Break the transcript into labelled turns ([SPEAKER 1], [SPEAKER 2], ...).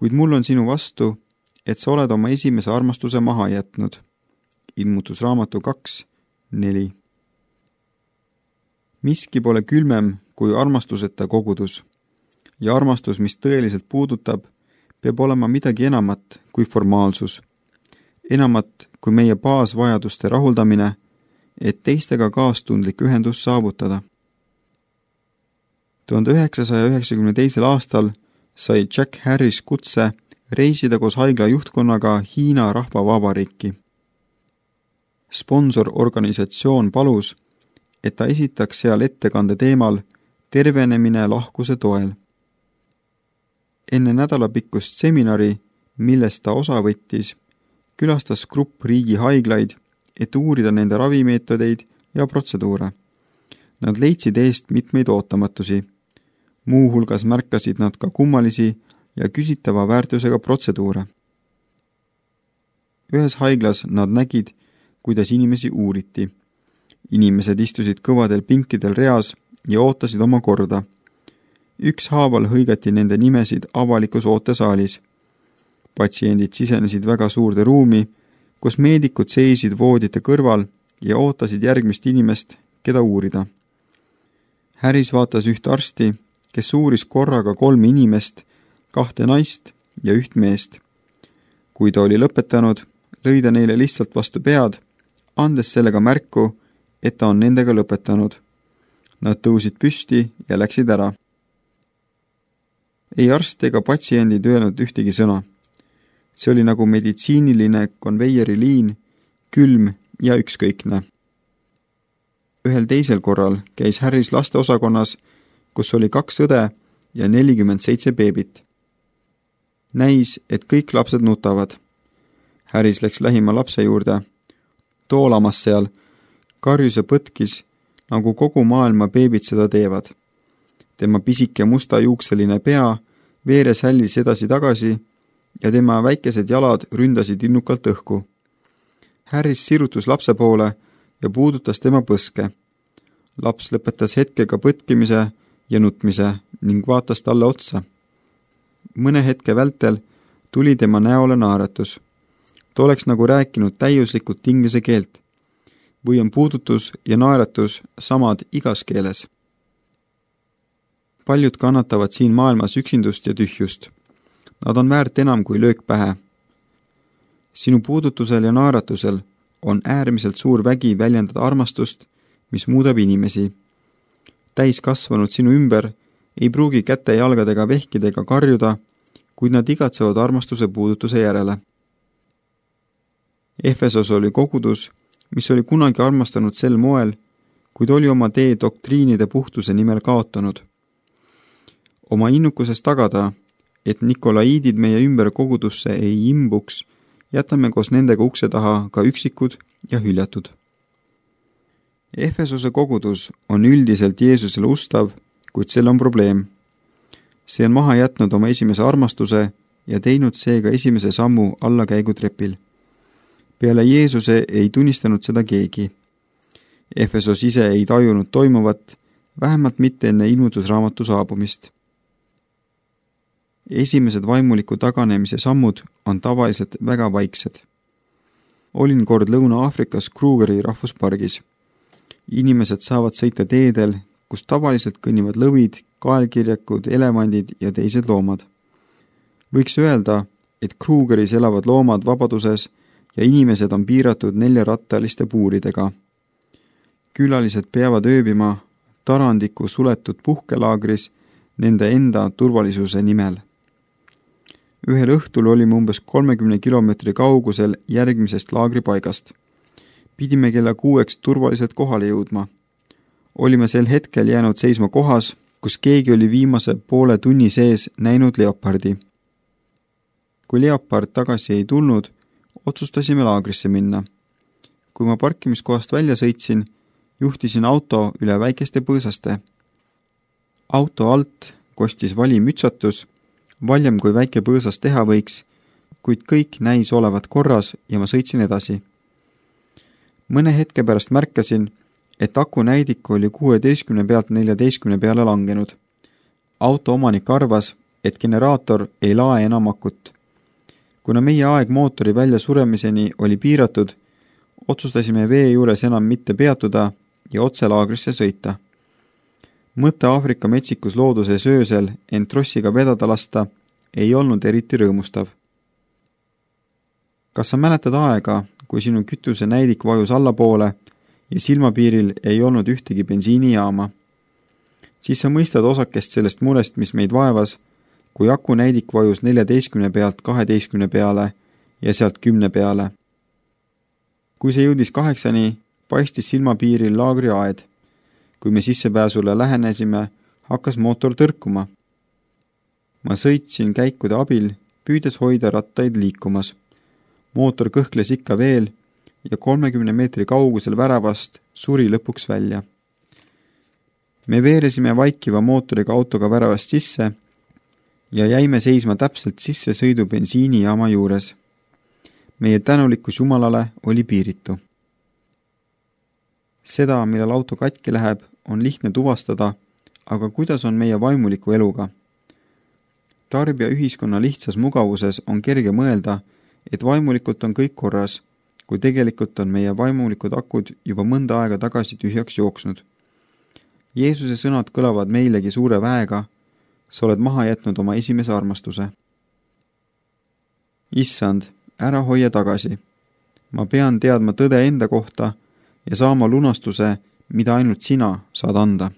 [SPEAKER 1] kuid mul on sinu vastu, et sa oled oma esimese armastuse maha jätnud. Ilmutusraamatu 2:4. Miski pole külmem kui armastuseta kogudus. Ja armastus, mis tõeliselt puudutab, peab olema midagi enamat kui formaalsus. Enamat kui meie baasvajaduste rahuldamine, et teistega kaastundlik ühendus saavutada. 1992. aastal sai Jack Harris kutse reisida koos haigla juhtkonnaga Hiina Rahvavabariiki. Sponsororganisatsioon palus, et ta esitaks seal ettekande teemal tervenemine lahkuse toel. Enne nädalapikkust seminari, millest ta osa võttis, külastas grupp riigi haiglaid, et uurida nende ravimeetodeid ja protseduure. Nad leidsid eest mitmeid ootamatusi. Muuhulgas märkasid nad ka kummalisi ja küsitava väärtusega protseduure. Ühes haiglas nad nägid, kuidas inimesi uuriti. Inimesed istusid kõvadel pinkidel reas ja ootasid oma korda. Ükshaaval hõigati nende nimesid avalikus ootesaalis. Patsiendid sisenesid väga suurde ruumi, kus meedikud seisid voodite kõrval ja ootasid järgmist inimest, keda uurida. Harris vaatas üht arsti, kes uuris korraga 3 inimest, 2 naist ja 1 meest. Kui ta oli lõpetanud, lõi ta neile lihtsalt vastu pead, andes sellega märku, et ta on nendega lõpetanud. Nad tõusid püsti ja läksid ära. Ei arst ega patsiendid öelnud ühtegi sõna. See oli nagu meditsiiniline konveieriliin, külm ja ükskõikne. Ühel teisel korral käis Harris lasteosakonnas, kus oli 2 õde ja 47 beebit. Näis, et kõik lapsed nutavad. Harris läks lähima lapse juurde, toolamas seal, karjus ja põtkis, nagu kogu maailma beebid seda teevad. Tema pisike musta juukseline pea veeres hällis edasi-tagasi ja tema väikesed jalad ründasid innukalt õhku. Harris sirutus lapse poole ja puudutas tema põske. Laps lõpetas hetkega põtkimise ja nutmise ning vaatas talle otsa. Mõne hetke vältel tuli tema näole naeratus. Ta oleks nagu rääkinud täiuslikult inglise keelt. Või on puudutus ja naeratus samad igas keeles. Paljud kannatavad siin maailmas üksindust ja tühjust. Nad on väärt enam kui löök pähe. Sinu puudutusel ja naeratusel on äärmiselt suur vägi väljendada armastust, mis muudab inimesi. Täiskasvanud sinu ümber ei pruugi käte jalgadega vehkidega karjuda, kuid nad igatsevad armastuse puudutuse järele. Efesos oli kogudus, mis oli kunagi armastanud sel moel, kuid oli oma tee doktriinide puhtuse nimel kaotanud. Oma innukuses tagada, et nikolaiidid meie ümber kogudusse ei imbuks, jätame koos nendega ukse taha ka üksikud ja hüljatud. Efesose kogudus on üldiselt Jeesusele ustav, kuid sel on probleem. See on maha jätnud oma esimese armastuse ja teinud seega esimese sammu allakäigutrepil. Peale Jeesuse ei tunnistanud seda keegi. Efesos ise ei tajunud toimuvat, vähemalt mitte enne ilmutusraamatu saabumist. Esimesed vaimuliku taganemise sammud on tavaliselt väga vaiksed. Olin kord Lõuna-Aafrikas Krugeri rahvuspargis. Inimesed saavad sõita teedel, kus tavaliselt kõnnivad lõvid, kaelkirjakud, elevandid ja teised loomad. Võiks öelda, et Krugeris elavad loomad vabaduses ja inimesed on piiratud 4-rattaliste puuridega. Külalised peavad ööbima Tarandiku suletud puhkelaagris nende enda turvalisuse nimel. Ühel õhtul olime umbes 30 kilomeetri kaugusel järgmisest laagripaigast. Pidime kella 6 turvaliselt kohale jõudma. Olime sel hetkel jäänud seisma kohas, kus keegi oli viimase poole tunni sees näinud leopardi. Kui leopard tagasi ei tulnud, otsustasime laagrisse minna. Kui ma parkimiskohast välja sõitsin, juhtisin auto üle väikeste põõsaste. Auto alt kostis vali mütsatus, valjem kui väike põõsas teha võiks, kuid kõik näis olevat korras ja ma sõitsin edasi. Mõne hetke pärast märkasin, et akunäidik oli 16 pealt 14 peale langenud. Auto omanik arvas, et generaator ei lae enam akut. Kuna meie aeg mootori välja suremiseni oli piiratud, otsustasime vee juures enam mitte peatuda ja otse laagrisse sõita. Mõte Aafrika metsikus looduses öösel end trossiga vedada lasta ei olnud eriti rõõmustav. Kas sa mäletad aega, kui sinu kütuse näidik vajus allapoole ja silmapiiril ei olnud ühtegi bensiinijaama? Siis sa mõistad osakest sellest murest, mis meid vaevas, kui aku näidik vajus 14 pealt 12 peale ja sealt 10 peale. Kui see jõudis 8-ni, paistis silmapiiril laagriaed. Kui me sissepääsule lähenesime, hakkas mootor tõrkuma. Ma sõitsin käikude abil, püüdes hoida rattaid liikumas. Mootor kõhkles ikka veel ja 30 meetri kaugusel väravast suri lõpuks välja. Me veeresime vaikiva mootoriga autoga väravast sisse ja jäime seisma täpselt sisse sõidu bensiinijaama juures. Meie tänulikkus Jumalale oli piiritu. Seda, millal auto katki läheb, on lihtne tuvastada, aga kuidas on meie vaimuliku eluga? Tarbija ühiskonna lihtsas mugavuses on kerge mõelda, et vaimulikult on kõik korras, kui tegelikult on meie vaimulikud akud juba mõnda aega tagasi tühjaks jooksnud. Jeesuse sõnad kõlavad meilegi suure väega, sa oled maha jätnud oma esimese armastuse. Issand, ära hoia tagasi. Ma pean teadma tõde enda kohta ja saama lunastuse, mida ainult sina saad anda.